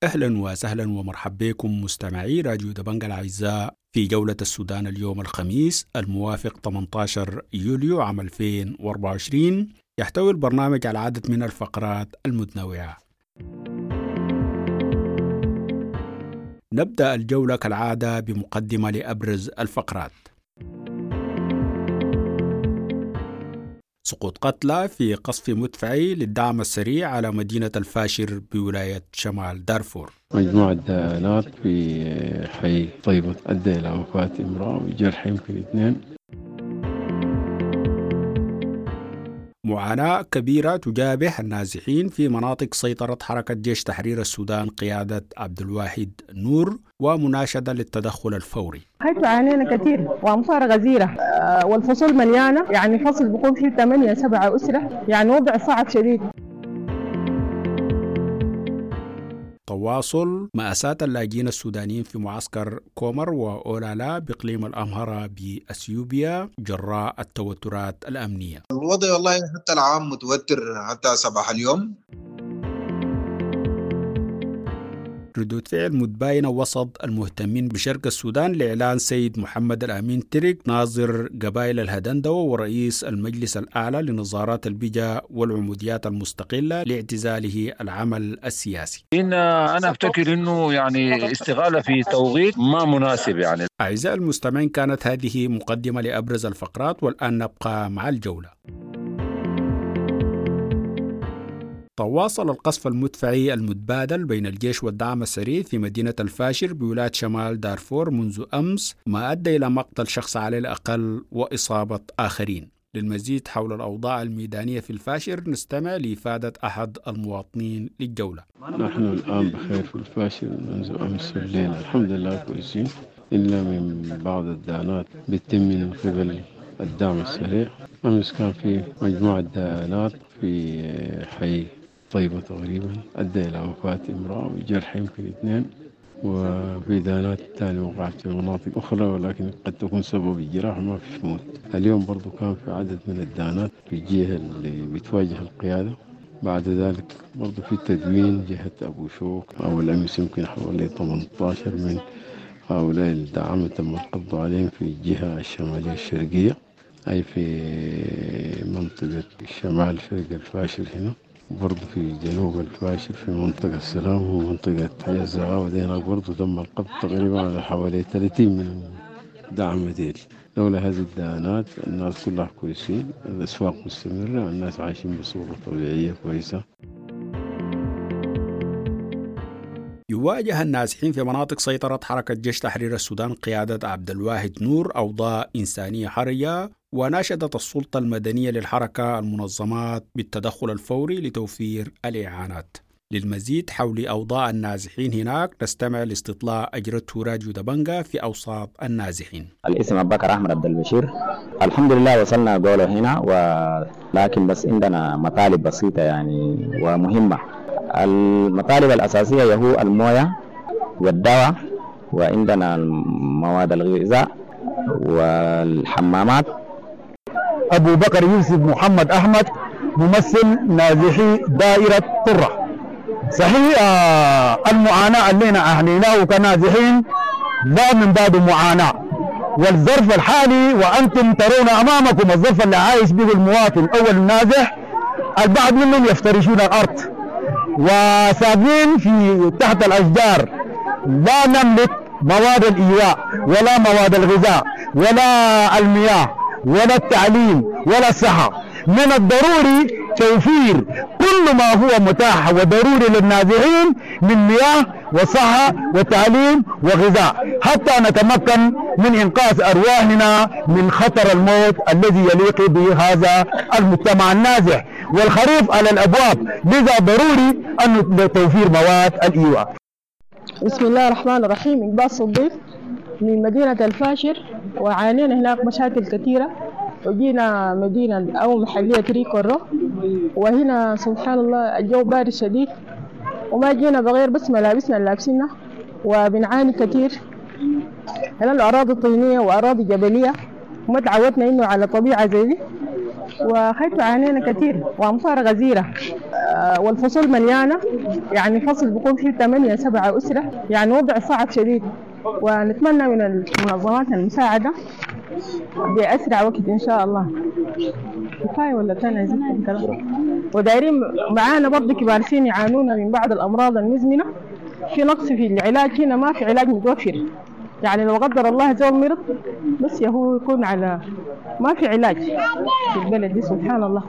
أهلا وسهلا ومرحبا بكم مستمعي راديو دبنجا الأعزاء في جولة السودان اليوم الخميس الموافق 18 يوليو عام 2024. يحتوي البرنامج على عدد من الفقرات المتنوعة. نبدأ الجولة كالعادة بمقدمة لأبرز الفقرات. سقوط قتلى في قصف مدفعي للدعم السريع على مدينة الفاشر بولاية شمال دارفور. مجموعة دانات في حي طيبة أدى إلى وفاة امرأة وجرح يمكن 2. معاناة كبيرة تجابه النازحين في مناطق سيطرة حركة جيش تحرير السودان قيادة عبد الواحد نور، ومناشدة للتدخل الفوري. حيث عانينا كثير وأمطار غزيرة والفصول مليانة، يعني فصل بيكون فيه 8-7 أسرة، يعني وضع صعب شديد. تواصل مأساة اللاجئين السودانيين في معسكر كومر وأولالا بإقليم الأمهرة بأثيوبيا جراء التوترات الأمنية. الوضع والله حتى العام متوتر حتى صباح اليوم. ردود فعل متباينة وسط المهتمين بشرق السودان لإعلان سيد محمد الأمين ترك ناظر قبائل الهدندوة ورئيس المجلس الأعلى لنظارات البجا والعموديات المستقلة لاعتزاله العمل السياسي. إن أنا أفتكر أنه يعني استغالة في توقيت ما مناسب يعني. أعزائي المستمعين، كانت هذه مقدمة لأبرز الفقرات، والآن نبقى مع الجولة. تواصل القصف المدفعي المتبادل بين الجيش والدعم السريع في مدينة الفاشر بولاية شمال دارفور منذ أمس، ما أدى إلى مقتل شخص على الأقل وإصابة آخرين. للمزيد حول الأوضاع الميدانية في الفاشر نستمع لإفادة أحد المواطنين للجولة. نحن الآن بخير في الفاشر منذ أمس الليل، الحمد لله كويسين، إلا من بعض الدانات بتتم من قبل الدعم السريع. أمس كان في مجموعة دانات في حي طيبة تقريبا أدى إلى وفاة امرأة وجرح يمكن 2، وفي دانات ثانية وقعت في مناطق أخرى ولكن قد تكون سبب الجراح ما فيش موت. اليوم برضو كان في عدد من الدانات في الجهة اللي بتواجه القيادة. بعد ذلك برضو في تدوين جهة أبو شوك أو الأمس يمكن حوالي 18 من هؤلاء الدعامة تم القبض عليهم في الجهة الشمالية الشرقية، أي في منطقة الشمال شرق الفاشر هنا، برضو في جنوب الفاشر في منطقة السلام ومنطقة حي الزغاوة هناك برضو تم القبض تقريبا على حوالي 30 من دعم ديل. لولا هذه الدانات الناس كلها كويسين، الأسواق مستمرة، الناس عايشين بصورة طبيعية كويسة. يواجه النازحين في مناطق سيطرة حركة جيش تحرير السودان قيادة عبد الواحد نور أوضاع إنسانية حرجة، وناشدت السلطة المدنية للحركة المنظمات بالتدخل الفوري لتوفير الإعانات. للمزيد حول أوضاع النازحين هناك نستمع لاستطلاع أجرته راديو دبنجا في أوساط النازحين. الاسم أبو بكر أحمد عبد البشير. الحمد لله وصلنا قوله هنا، ولكن بس عندنا مطالب بسيطة يعني ومهمة. المطالب الأساسية هو الموية والدواء، وعندنا مواد الغذاء والحمامات. أبو بكر يوسف محمد أحمد، ممثل نازحي دائرة طرة. صحيح المعاناة اللي أهليناه كنازحين لا من باب معاناة، والظرف الحالي وأنتم ترون أمامكم الظرف اللي عايش به المواطن أول النازح، البعض منهم يفترشون الأرض وساكنين في تحت الأشجار. لا نملك مواد الإيواء ولا مواد الغذاء ولا المياه ولا التعليم ولا الصحة. من الضروري توفير كل ما هو متاح وضروري للنازحين من مياه وصحة وتعليم وغذاء حتى نتمكن من إنقاذ أرواحنا من خطر الموت الذي يليق بهذا المجتمع النازح، والخريف على الأبواب، لذا ضروري أن توفير مواد الإيواء. بسم الله الرحمن الرحيم. إقبال صديق من مدينة الفاشر، وعانينا هناك مشاكل كثيرة، وجينا مدينة أو محلية ريكورو، وهنا سبحان الله الجو بارد شديد، وما جينا بغير بس ملابسنا اللي لابسينها، وبنعاني كثير. هنا الأراضي طينية وأراضي جبلية، وما تعودنا إنه على طبيعة زي دي، وخيط عانينا كثير وأمطار غزيرة. والفصول مليانة، يعني فصل بيكون فيه 8 7 أسرة، يعني وضع صعب شديد. ونتمنى من المنظمات المساعدة بأسرع وقت إن شاء الله. كفاية ولا تاني عايزين كلام؟ ودايرين معانا برضه كبار سن يعانون من بعض الأمراض المزمنة، في نقص في العلاج هنا، ما في علاج متوفر، يعني لو قدر الله زول مرض بس هو يكون على ما في علاج في البلد دي سبحان الله.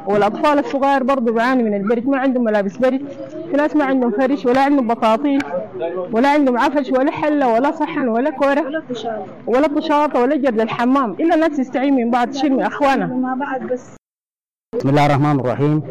والأطفال الصغار برضه بيعانوا من البرد، ما عندهم ملابس برد، في ناس ما عندهم فرش ولا عندهم بطاطين ولا عندهم عفش ولا حلة ولا صحن ولا كورة ولا طشاطة ولا جرد الحمام، إلا الناس تستعين من بعض، تشيل من أخوانها مع بعض بس. بسم الله الرحمن الرحيم.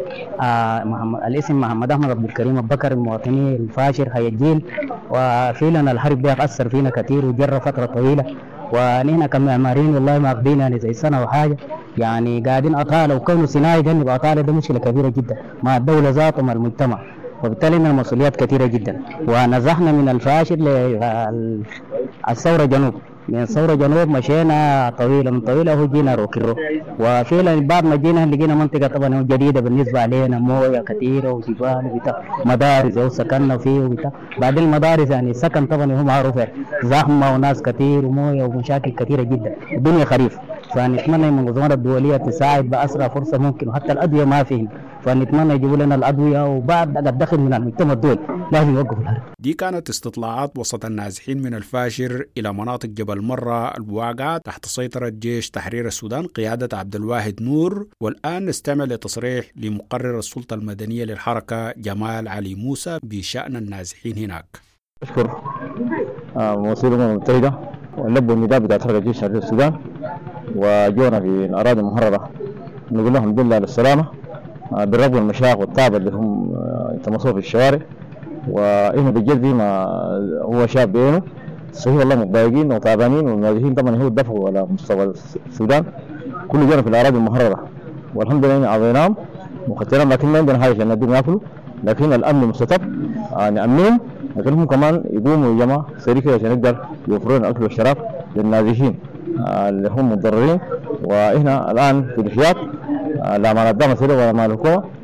الاسم محمد احمد عبد الكريم ابو بكر، المواطني الفاشر حي الجيل. وفعلا الحرب دي اثر فينا كثير وجرى فترة طويلة، ونحن كمعماريين والله ما اخذين يعني زي سنة وحاجه، يعني قاعدين اطالة، وكونه صناعي جنب اطاله ده مشكلة كبيرة جدا مع الدولة ذاته ومع المجتمع، وبالتالي لنا مسؤوليات كثيرة جدا. ونزحنا من الفاشر للثورة جنوب، من ثورة جنوب مشينا طويلة من طويلة هو جينا روكيرو. وفعلا بعد ما جينا لقينا منطقة طبعا جديدة بالنسبة علينا، موية كثيرة وجبال وبتاع، مدارس وسكننا فيه وبتاع. بعدين المدارس يعني السكن طبعا هو معروف يعني زحمة وناس كثير وموية ومشاكل كثيرة جدا، الدنيا خريف. فنتمنى من المنظمات الدولية تساعد بأسرع فرصة ممكن، وحتى الأدوية ما فيهن، فنتمنى يجيبوا لنا الأدوية، وبعد الدخل من المجتمع الدولي لازم يوقفوا الحرب. دي كانت استطلاعات وسط النازحين من الفاشر إلى مناطق جبل مرة الواقعة تحت سيطرة جيش تحرير السودان قيادة عبد الواحد نور. والآن نستمع لتصريح لمقرر السلطة المدنية للحركة جمال علي موسى بشأن النازحين هناك. أشكر ممثلي الأمم المتحدة ونلبوا النداء بتاع حركة جيش تحرير السودان وجونا في الأراضي المحررة، نقول لهم الحمد لله على السلامة بالرغم من المشاق والتعب اللي هم يتمصوا في الشوارع. وإحنا بالجد ما هو شاب بينه صحيح والله متضايقين وتعبانين، والنازحين طبعا هو الدفع على مستوى السودان كله جانا في الأراضي المحررة، والحمد لله عضيناهم وختيناهم، لكن ما عندنا حاجة عشان نديهم ياكلوا، لكن الأمن مستتب نأمنهم، لكن هم كمان يقوموا يا جماعة سريع كده عشان يقدر يوفروا لنا الأكل والشراب للنازحين اللي هم متضررين. وإحنا الآن في الحياة لا مع الدعم السريع ولا مع الحكومة.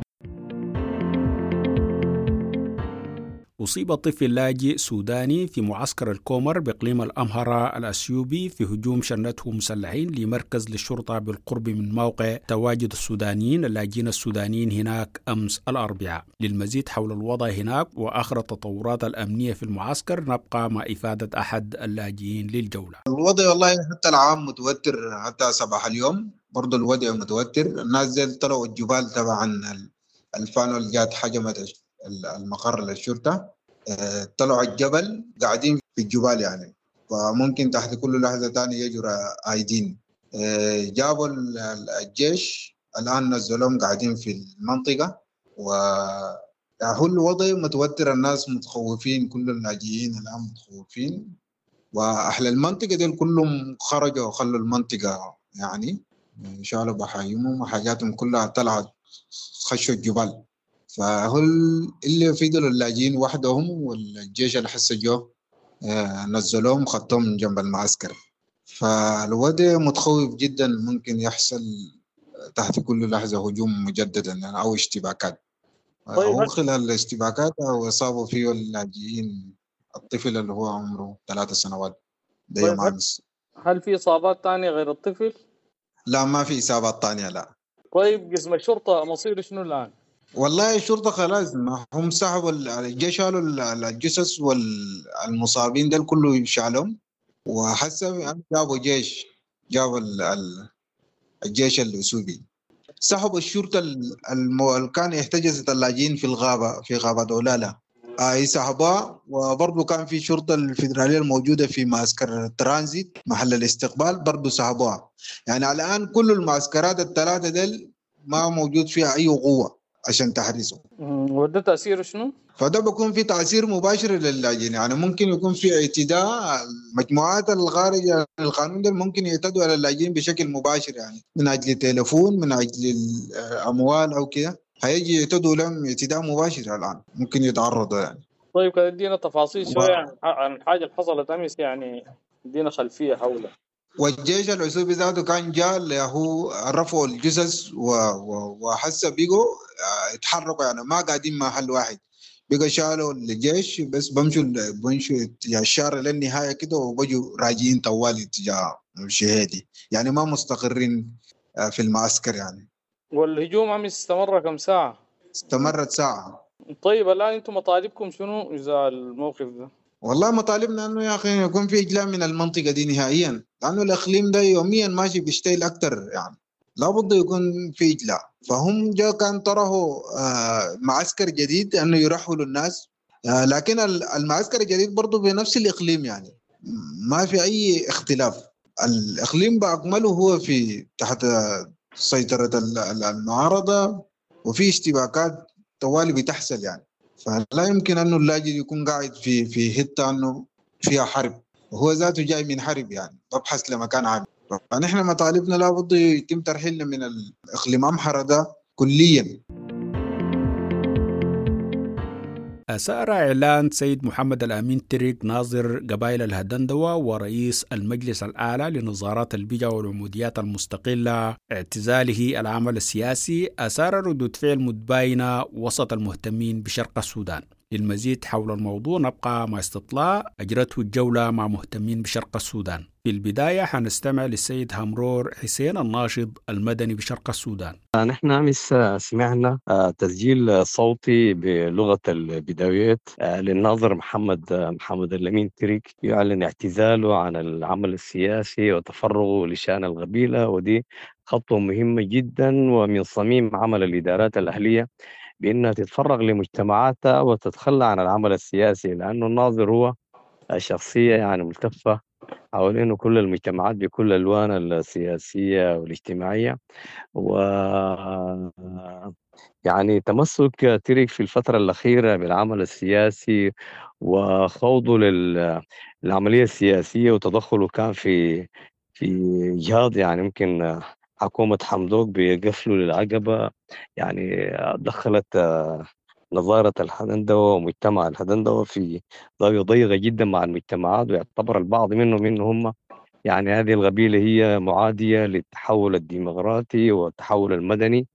أصيب طفل لاجئ سوداني في معسكر الكومر بإقليم الأمهرة الأثيوبي في هجوم شنته مسلحين لمركز للشرطة بالقرب من موقع تواجد السودانيين اللاجئين السودانيين هناك أمس الأربعاء. للمزيد حول الوضع هناك وآخر التطورات الأمنية في المعسكر نبقى مع إفادة أحد اللاجئين للجولة. الوضع والله حتى العام متوتر، حتى صباح اليوم برضو الوضع متوتر. الناس زي طلعوا الجبال تبعا الفانو اللي جات حجمت المقر للشرطة، طلعوا الجبل قاعدين في الجبال يعني، فممكن تحت كل لحظة تانية يجرى ايدين. جابوا الجيش الآن نزلهم قاعدين في المنطقة، وهو الوضع متوتر، الناس متخوفين، كل اللاجئين الآن متخوفين، وأهل المنطقة دول كلهم خرجوا وخلوا المنطقة يعني، شالوا بحايمهم وحاجاتهم كلها طلعت خشوا الجبال. فهو اللي في دول اللاجئين وحدهم، والجيش اللي حس جو نزلوهم خطوهم من جنب المعسكر. فالوضع متخوف جدا، ممكن يحصل تحت كل لحظة هجوم مجددا يعني أو اشتباكات. طيب أو خلال الاشتباكات أو أصابوا فيه اللاجئين الطفل اللي هو عمره 3 سنوات ده طيب يوم أمس. هل في إصابات تانية غير الطفل؟ لا ما في إصابات تانية لا. طيب قسم الشرطة مصيره شنو الآن؟ والله الشرطة خلاص ما هم سحبوا الجيش، شالوا الجثث والمصابين ده كله شالهم، وحسب جابوا جيش، جابوا الجيش الأثيوبي، سحبوا الشرطة اللي كان يحتجز اللاجئين في الغابة في غابة أولالا سحبوها. وبرضه كان في شرطة الفيدرالية الموجودة في معسكر الترانزيت محل الاستقبال برضه سحبوها. يعني الآن كل المعسكرات الثلاثة ديل ما موجود فيها أي قوة عشان تحرسه. وده تأثيره شنو؟ فده بيكون في تأثير مباشر للاجئين، يعني ممكن يكون في اعتداء المجموعات الخارجة القانون ده ممكن يعتدوا على اللاجئين بشكل مباشر، يعني من أجل تليفون، من أجل الأموال أو كده، هيجي يعتدوا لهم اعتداء مباشر الآن ممكن يتعرضوا يعني. طيب كده ادينا تفاصيل شوية عن الحاجة اللي حصلت أمس، يعني ادينا خلفية حولها. والجيش العسوبي ذاته كان جاء اللي هو رفعوا الجثث وحس بيجوا اتحركوا يعني، ما قاعدين محل واحد، بقى شالوا الجيش بس بمشوا اتجاه الشارع للنهاية كده وبجوا راجعين طوالي اتجاه شهيدي، يعني ما مستقرين في المعسكر يعني. والهجوم عم استمر كم ساعة؟ استمرت ساعة. طيب الآن انتم مطالبكم شنو إذا الموقف ده؟ والله مطالبنا انه يا اخي يكون في اجلاء من المنطقة دي نهائيا، لانه الاقليم ده يوميا ماشي بيشتغل اكثر يعني، لابد يكون في اجلاء. فهم جا كان طرحوا معسكر جديد انه يرحلوا الناس، لكن المعسكر الجديد برضه بنفس الاقليم يعني، ما في اي اختلاف. الاقليم باكمله هو في تحت سيطرة المعارضة، وفي اشتباكات طوالي بتحصل يعني، فلا يمكن انه اللاجئ يكون قاعد في حتة انه فيها حرب، وهو ذاته جاي من حرب يعني، ببحث لمكان عام. فنحن مطالبنا لابد يتم ترحيلنا من الاقليم امحره ده كليا. أثار إعلان سيد محمد الأمين تريك ناظر قبائل الهدندوة ورئيس المجلس الأعلى لنظارات البجا والعموديات المستقلة اعتزاله العمل السياسي، أثار ردود فعل متباينة وسط المهتمين بشرق السودان. للمزيد حول الموضوع نبقى مع استطلاع أجرته الجولة مع مهتمين بشرق السودان. في البداية حنستمع للسيد همرور حسين الناشط المدني بشرق السودان. نحن أمس سمعنا تسجيل صوتي بلغة البداويات للناظر محمد الأمين تريك يعلن اعتزاله عن العمل السياسي وتفرغه لشأن القبيلة، ودي خطوة مهمة جدا ومن صميم عمل الإدارات الأهلية بأنها تتفرغ لمجتمعاتها وتتخلى عن العمل السياسي، لأنه الناظر هو شخصية يعني ملتفة حوالينه كل المجتمعات بكل الألوان السياسية والاجتماعية. و يعني تمسك تريك في الفترة الأخيرة بالعمل السياسي وخوضه للعملية السياسية وتدخله كان في إجهاض يعني ممكن حكومة حمدوك بقفله للعقبة، يعني دخلت نظارة الهدندوة ومجتمع الهدندوة في زاوية ضيقة جدا مع المجتمعات، ويعتبر البعض منهم إنه هم يعني هذه القبيلة هي معادية للتحول الديمقراطي والتحول المدني،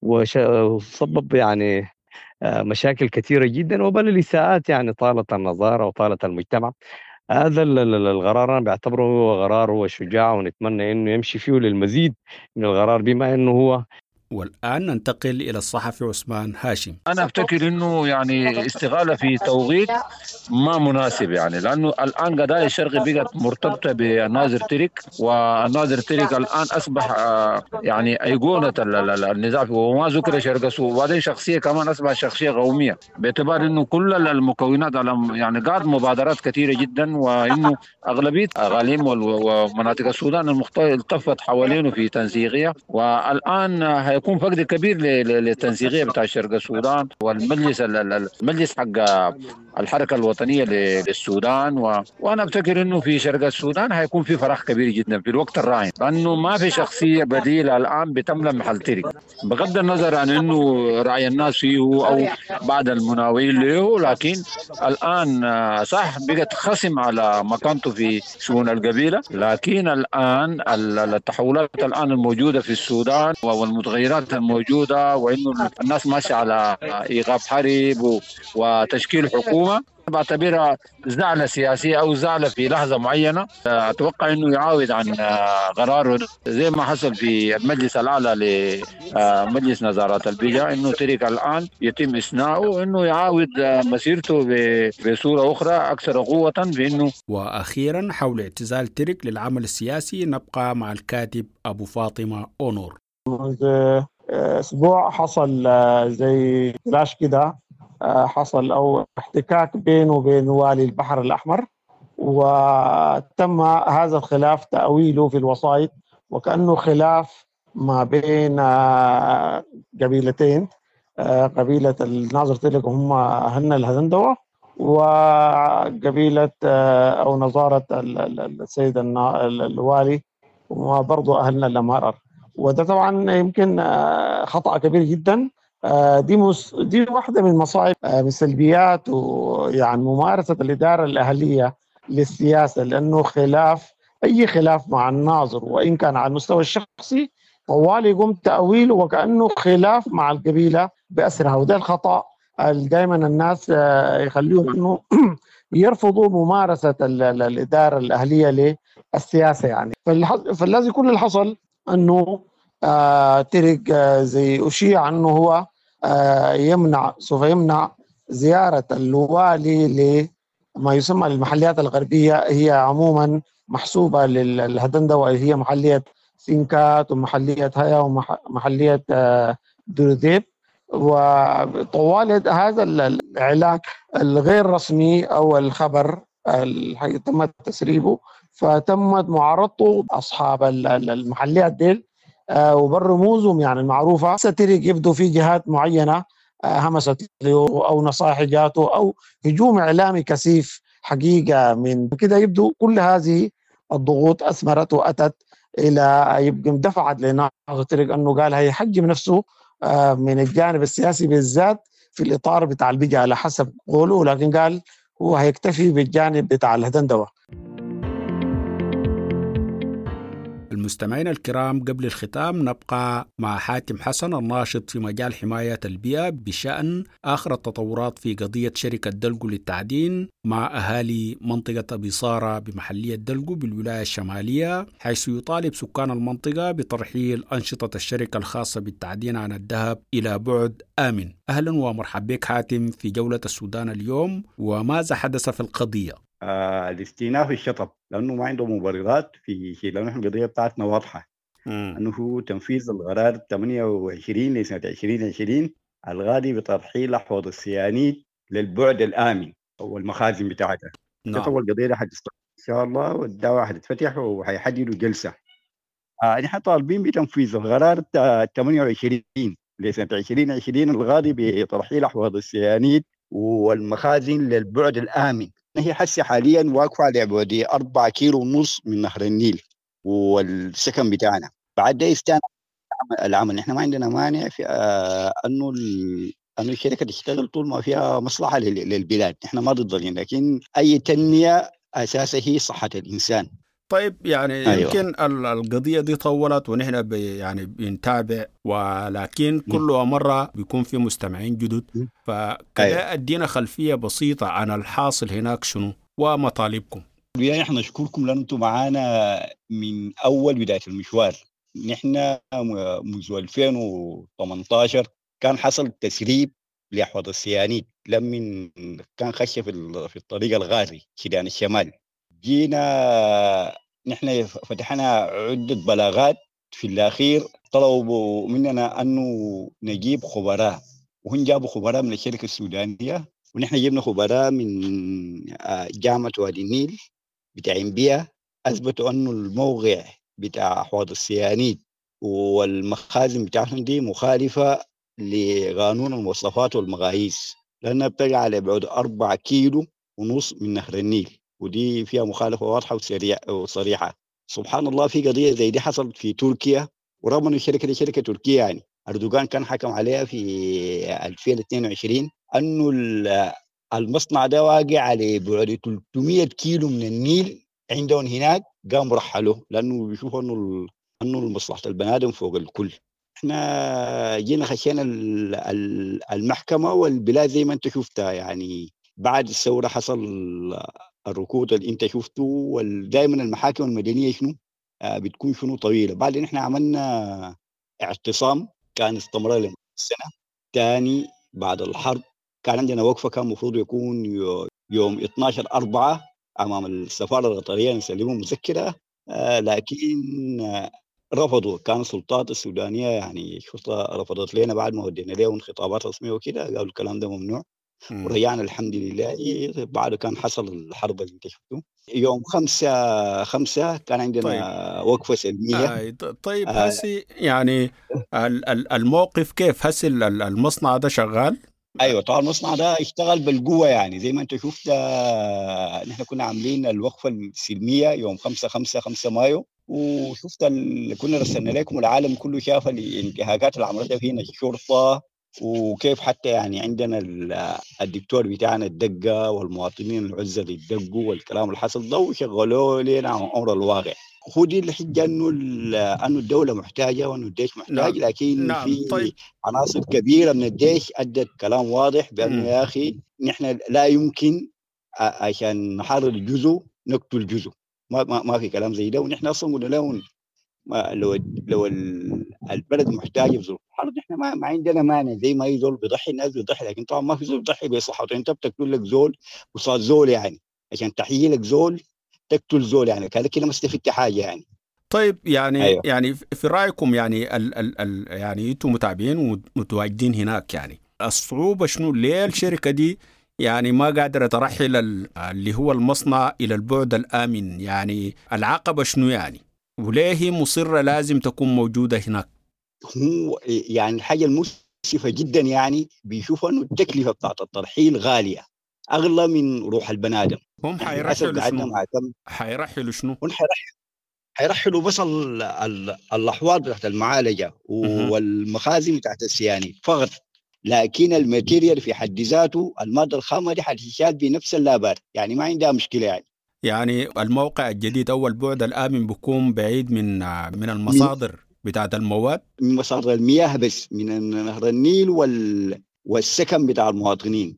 وسبب يعني مشاكل كثيرة جدا وبل الإساءات يعني طالت النظارة وطالت المجتمع. هذا القرار أنا بعتبره هو قرار هو شجاع، ونتمنى إنه يمشي فيه للمزيد من القرار بما إنه هو. والآن ننتقل إلى الصحفي عثمان هاشم. أنا أفتكر إنه يعني استغالة في توقيت ما مناسب، يعني لأنه الآن قضايا الشرق بقت مرتبطة بالناظر تريك، والناظر تريك الآن أصبح يعني أيقونة النزاع، وما ذكر شرق، وبعدين شخصية كمان أصبح شخصية قومية باعتبار إنه كل المكونات على يعني قاد مبادرات كثيرة جدا، وإنه أغلبية أقاليم ومناطق السودان المختلفة التفت حوالينه في تنسيقية، والآن هيكون فقد كبير للتنسيقيه بتاع شرق السودان والمجلس المجلس حق الحركة الوطنية للسودان. وانا افتكر انه في شرق السودان هيكون في فراغ كبير جدا في الوقت الراهن، لانه ما في شخصية بديله الان بتملى محل ترك، بغض النظر عن انه راي الناس فيه او بعض المناوئين له، لكن الان صح بقت خصم على مكانته في شؤون القبيلة، لكن الان التحولات الان الموجودة في السودان والمتغيرات الموجودة، وانه الناس ماشية على ايقاف حرب وتشكيل حكومة، بعتبرها زعلة سياسية أو زعلة في لحظة معينة. أتوقع أنه يعاود عن قراره زي ما حصل في المجلس الأعلى لمجلس نظارات البيئة، أنه ترك الآن يتم إثناؤه، أنه يعاود مسيرته بصورة أخرى أكثر قوة بأنه. وأخيرا حول اعتزال ترك للعمل السياسي نبقى مع الكاتب أبو فاطمة أونور. منذ أسبوع حصل زي كلاش كده، حصل أو احتكاك بينه وبين والي البحر الأحمر، وتم هذا الخلاف تأويله في الوسائط وكأنه خلاف ما بين قبيلتين، قبيلة الناظر تلك هم أهلنا الهدندوة، وقبيلة أو نظارة السيد الوالي وبرضه أهلنا الأمهرر. وده طبعا يمكن خطأ كبير جدا. دي واحدة من مصاعب من سلبيات ويعني ممارسة الإدارة الأهلية للسياسة، لأنه خلاف اي خلاف مع الناظر وان كان على المستوى الشخصي طوال يقوم تاويله وكانه خلاف مع القبيلة باسرها، وده الخطا دائما الناس يخليهم انه يرفضوا ممارسة الادارة الاهلية للسياسة يعني. فالذي كل اللي حصل انه ترك زي اشيع انه هو سوف يمنع زيارة الوالي لما يسمى المحليات الغربية، هي عموما محسوبة للهدندوه، وهي محليه سينكات ومحليه هيا ومحليه دروذيب. وطوال هذا الاعلان الغير رسمي او الخبر اللي تم تسريبه، فتمت معارضته اصحاب المحليات ديل وبالرموزهم يعني المعروفة. ستريق يبدو في جهات معينة همست له او نصائح جاته او هجوم اعلامي كثيف حقيقة من كده. يبدو كل هذه الضغوط اثمرت واتت الى يبقى دفعت لناظر تريق انه قال هيحجم نفسه من الجانب السياسي بالذات في الاطار بتاع البجا على حسب قوله، لكن قال هو هيكتفي بالجانب بتاع الهدندوه. المستمعين الكرام، قبل الختام نبقى مع حاتم حسن الناشط في مجال حماية البيئة بشأن آخر التطورات في قضية شركة دلقو للتعدين مع أهالي منطقة أبي صارة بمحلية دلقو بالولاية الشمالية، حيث يطالب سكان المنطقة بترحيل أنشطة الشركة الخاصة بالتعدين عن الذهب إلى بعد آمن. أهلا ومرحبا بك حاتم في جولة السودان اليوم، وماذا حدث في القضية؟ الاستئناف الشطب، لانه ما عنده مبررات في شيء، لانه احنا القضية بتاعتنا واضحة انه هو تنفيذ القرار 28 لسنه 2020 الغادي بترحيل احواض السيانيد للبعد الامن والمخازن بتاعتها. نعم. شطب القضية دي حتستمر ان شاء الله، والدعوة حتتفتح وحيحددوا جلسه. نحن طالبين بتنفيذ القرار 28 لسنه 2020 الغادي بترحيل احواض السيانيد والمخازن للبعد الامن. هي حسي حاليا واقفة على بعد 4.5 كيلو من نهر النيل والسكن بتاعنا. بعد ده استأنف العمل. نحن ما عندنا مانع في انه الشركة تشتغل طول ما فيها مصلحة للبلاد، نحن ما ضد، لكن اي تنمية اساسها هي صحة الانسان. طيب يعني أيوة. يمكن القضية دي طولت ونحن يعني بنتابع، ولكن كل مرة بيكون في مستمعين جدد، فكذا أيوة. أدينا خلفية بسيطة عن الحاصل هناك شنو ومطالبكم. يعني نحن نشكركم لأن أنتم معانا من أول بداية المشوار. نحن منذ 2018 كان حصل تسريب لأحواض السيانيد لمن كان خش في الطريق الغاري شدان الشمال. جينا نحن فتحنا عدة بلاغات، في الأخير طلبوا مننا أنه نجيب خبراء، وهم جابوا خبراء من الشركة السودانية، ونحن جبنا خبراء من جامعة وادي النيل بتاع بيئة، أثبتوا أنه الموقع بتاع أحواض السيانيد والمخازن بتاعتهم دي مخالفة لقانون المواصفات والمقاييس، لأنها بتقع على بعد 4.5 كيلو من نهر النيل، ودي فيها مخالفة واضحة وصريحة. سبحان الله، في قضية زي دي حصلت في تركيا، ورغم أن الشركة دي شركة تركية يعني أردوغان كان حكم عليها في 2022 أنه المصنع ده واقع على بعد 300 كيلو من النيل عندهم هناك، قاموا رحلوه لأنه بيشوفوا أنه مصلحة البني آدم فوق الكل. احنا جينا خشينا المحكمة، والبلاد زي ما انت شفتها يعني بعد الثورة حصل الركود اللي انت شفته، ودائما المحاكم المدنية شنو بتكون شنو طويلة. بعدين احنا عملنا اعتصام كان استمر لنا سنة ثاني بعد الحرب، كان عندنا وقفه كان المفروض يكون يوم 12/4 امام السفارة القطرية نسلمهم مذكره، لكن رفضوا. كان السلطات السودانية يعني الشرطة رفضت لنا بعد ما ودينا لهم خطابات رسمية وكده، قالوا الكلام ده ممنوع. ورجعنا الحمد لله. بعد كان حصل الحرب اللي انت شفته يوم 5/5 كان عندنا طيب. وقفه سلمية. طيب هسي يعني الموقف كيف هسي؟ المصنع ده شغال؟ ايوه طبعا المصنع ده اشتغل بالقوة، يعني زي ما انت شفت نحن كنا عاملين الوقفة السلمية يوم 5/5 5 مايو، وشفت كنا رسلنا لكم والعالم كله شاف الانتهاكات اللي عملتها فينا الشرطة وكيف حتى يعني عندنا الدكتور بتاعنا الدقة والمواطنين العزة اللي اتدقوا والكلام اللي حصل ده، وشغلوه لنا عن امر الواقع. هو دي الحجة انه الدولة محتاجه وانه الجيش محتاج. نعم. لكن نعم. في طيب. عناصر كبيرة من الجيش ادت كلام واضح بانه يا اخي نحن لا يمكن عشان نحرر جزء نقتل جزء، ما في كلام زي ده. ونحن اصلا قلنا لهم لو البلد محتاجه بظروف الحرب نحن ما عندنا مانع، زي ما اي زول بيضحي الناس بيضحي، لكن طبعا ما في زول بيضحي بصحته. انت بتقتل لك زول قصاد زول، يعني عشان تحيي لك زول تقتل زول، يعني كده كده ما استفدت حاجة يعني. طيب يعني أيوة. يعني في رايكم يعني ال ال ال يعني انتم متابعين ومتواجدين هناك، يعني الصعوبة شنو؟ ليه الشركة دي يعني ما قادرة ترحل اللي هو المصنع الى البعد الامن؟ يعني العقبة شنو يعني؟ وليه هي مصرة لازم تكون موجودة هناك؟ هو يعني الحاجة المؤسفة جدا يعني بيشوفوا انه التكلفة بتاعت الترحيل غالية، اغلى من روح البني ادم. هم حيرحلوا شنو؟ حيرحلوا شنو؟ حيرحلوا بس الاحواض بتاعت المعالجة والمخازن بتاعت السيانيد فقط، لكن ال material في حد ذاته المادة الخامة دي حتشال بنفس اللابار، يعني ما عندها مشكلة يعني. يعني الموقع الجديد او البعد الامن بيكون بعيد من المصادر بتاعت المواد، من مصادر المياه بس، من نهر النيل والسكن بتاع المواطنين،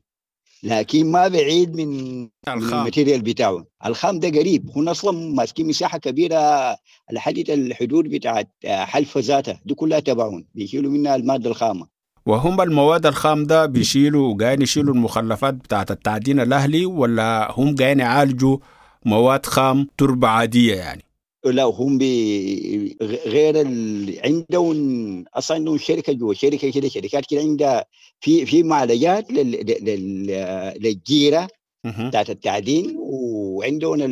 لكن ما بعيد من الخام. ال material بتاعه. الخام ده قريب، هم اصلا ماسكين مساحة كبيرة لحد الحدود بتاعت حلفه ذاتها دي كلها تبعهم، بيشيلوا منها المادة الخامة. وهم المواد الخام ده بيشيلوا قاعدين يشيلوا المخلفات بتاعت التعدين الاهلي، ولا هم قاعدين يعالجوا مواد خام تربه عادية يعني؟ لا هم غير عندهم اصلا عندهم شركة جوا، شركة كده، شركات كده عندها في معالجات للجيره بتاعت التعدين، وعندهم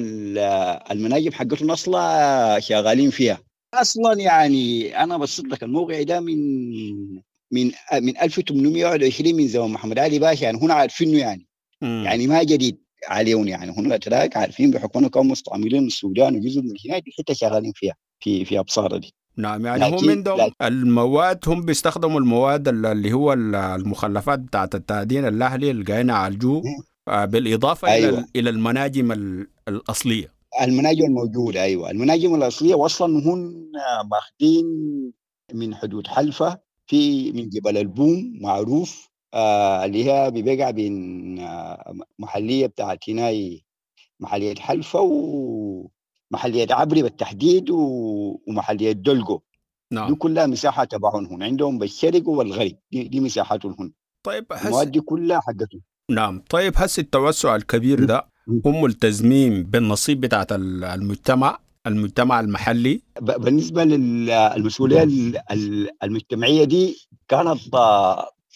المناجم حقتهم اصلا شغالين فيها اصلا. يعني انا بصيت لك الموقع ده من 1821 من زمان محمد علي باشا، يعني هنا عارفينه يعني. يعني ما جديد عليهم، يعني هنا الاتراك عارفين بحكم انهم كانوا مستعمرين السودان وجزء من هناك الحتة شغالين فيها في ابصاره دي. نعم، يعني هم عندهم المواد، هم بيستخدموا المواد اللي هو المخلفات بتاعت التعدين الاهلي اللي قاعدين يعالجوه، بالاضافة أيوة. الى المناجم الاصلية، المناجم الموجودة. ايوه المناجم الاصلية، واصلا هم ماخذين من حدود حلفه في من جبل البوم معروف، اللي هي بيقع بين محلية بتاعت هناي، محلية حلفة ومحلية عبري بالتحديد ومحلية دلقو. نعم. دي كلها مساحة تبعهم هنا، عندهم بالشرق والغرب دي مساحاتهم هنا. طيب المواد دي كلها حقتهم. نعم. طيب هس التوسع الكبير ده هم ملتزمين بالنصيب بتاعت المجتمع المحلي؟ بالنسبة للمسؤولية المجتمعية دي كانت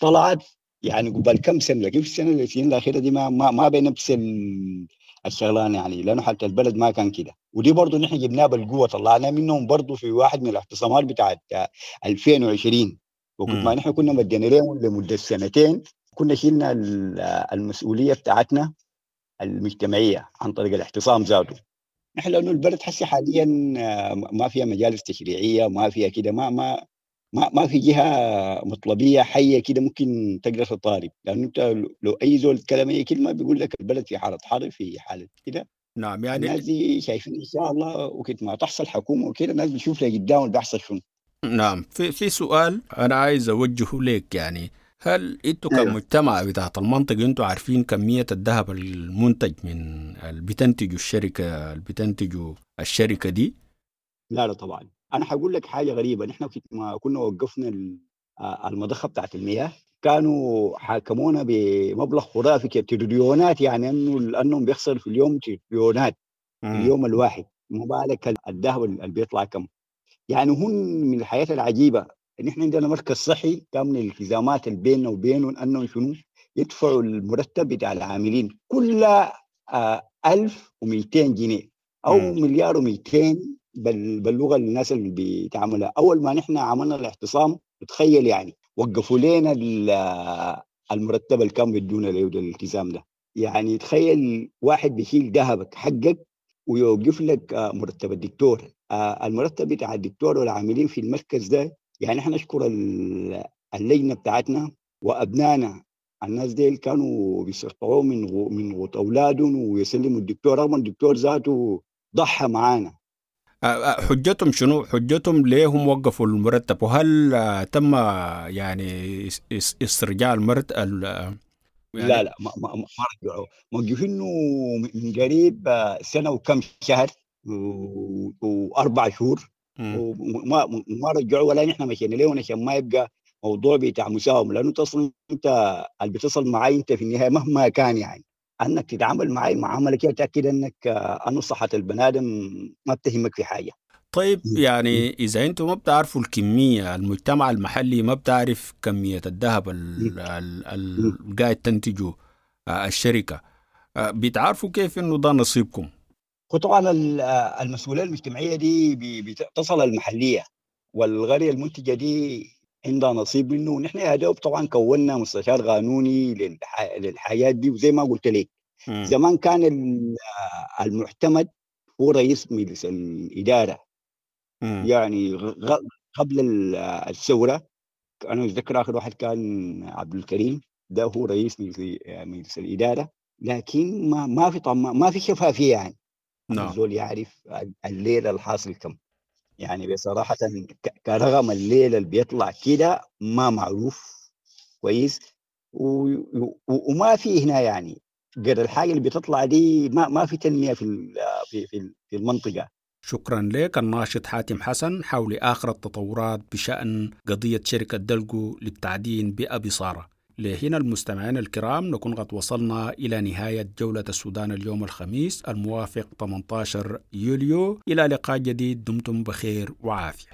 طلعت يعني قبل كم سنة، لكن في السنة السنين الاخيرة دي ما بنفس الشغلانة يعني، لانه حتى البلد ما كان كده. ودي برضه نحن جبناها بالقوة، طلعنا منهم برضه في واحد من الاعتصامات بتاعت 2020، وكنت ما نحن كنا مدينا لهم لمدة سنتين، كنا شلنا المسؤولية بتاعتنا المجتمعية عن طريق الاعتصام ذاته. نحن لانه البلد حسي حاليا ما فيها مجالس تشريعية، ما فيها كده، ما ما ما ما في جهة مطلبيه حيه كده ممكن تقدر تطالب، لانه انت لو اي زول تكلم اي كلمة بيقول لك البلد في حاله حرب، في حاله كده. نعم، يعني الناس دي شايفين ان شاء الله وقت ما تحصل حكومة وكده الناس بتشوف لقدام اللي بيحصل شنو. نعم. في سؤال انا عايز اوجهه لك، يعني هل انتوا كمجتمع بتاعت المنطقة انتوا عارفين كمية الذهب المنتج من اللي بتنتجوا الشركة اللي بتنتجوا الشركة دي؟ لا طبعا. انا حقول لك حاجة غريبة، نحن ما كنا وقفنا المضخه بتاعت المياه كانوا حاكمونا بمبلغ خرافي كده، تريليونات، يعني انهم بيخسروا في اليوم تريليونات في اليوم الواحد، ما بالك الذهب اللي بيطلع كم. يعني هم من الحياة العجيبة ان احنا عندنا مركز صحي كان من الالتزامات اللي بيننا وبينهم انهم شنو يدفعوا المرتب بتاع العاملين كل 1200 جنيه او 1.2 مليار باللغة الناس اللي بتعملها. اول ما نحن عملنا الاعتصام تخيل يعني وقفوا لنا المرتب اللي كان بيدونا له الالتزام ده. يعني تخيل واحد بيشيل ذهبك حقك ويوقف لك مرتب الدكتور، المرتب بتاع الدكتور والعاملين في المركز ده. يعني احنا نشكر اللجنة بتاعتنا وابنائنا الناس ديل كانوا بيستقطعوا من غوت اولادهم ويسلموا الدكتور، رغم الدكتور ذاته ضحى معانا. حجتهم شنو؟ حجتهم ليه هم وقفوا المرتب؟ وهل تم يعني استرجاع المرتب؟ يعني لا لا، ما رجعوا، موقفينه من قريب سنة وكم شهر و4 شهور، وما رجعوا ولا نحن مشينا لهم عشان ما يبقى موضوع بتاع مساومة، لانه تصل انت اللي بتصل معي انت في النهاية مهما كان يعني انك تتعامل معي معاملة كده تاكد انك انه صحة البني ادم ما بتهمك في حاجة. طيب يعني اذا انتم ما بتعرفوا الكمية، المجتمع المحلي ما بتعرف كمية الذهب اللي قاعد تنتجه الشركة، بتعرفوا كيف انه ده نصيبكم؟ وطبعا المسؤولية المجتمعية دي بتصل المحلية، والغرية المنتجة دي عندها نصيب منه، ونحن يا دوب طبعا كونا مستشار قانوني للحياة دي. وزي ما قلت لك زمان كان المعتمد هو رئيس مجلس الإدارة. يعني قبل الثورة أنا أتذكر آخر واحد كان عبد الكريم، ده هو رئيس مجلس الإدارة، لكن ما في ما في شفافية يعني. الزول يعرف الليلة الحاصل كم يعني. بصراحة كرغم الليلة اللي بيطلع كده ما معروف كويس، وما في هنا يعني غير الحاجة اللي بتطلع دي ما في تنمية في في في المنطقة. شكرا لك الناشط حاتم حسن حول آخر التطورات بشأن قضية شركة دلقو للتعدين بأبي صارة. لهنا المستمعين الكرام نكون قد وصلنا إلى نهاية جولة السودان اليوم الخميس الموافق 18 يوليو. إلى لقاء جديد، دمتم بخير وعافية.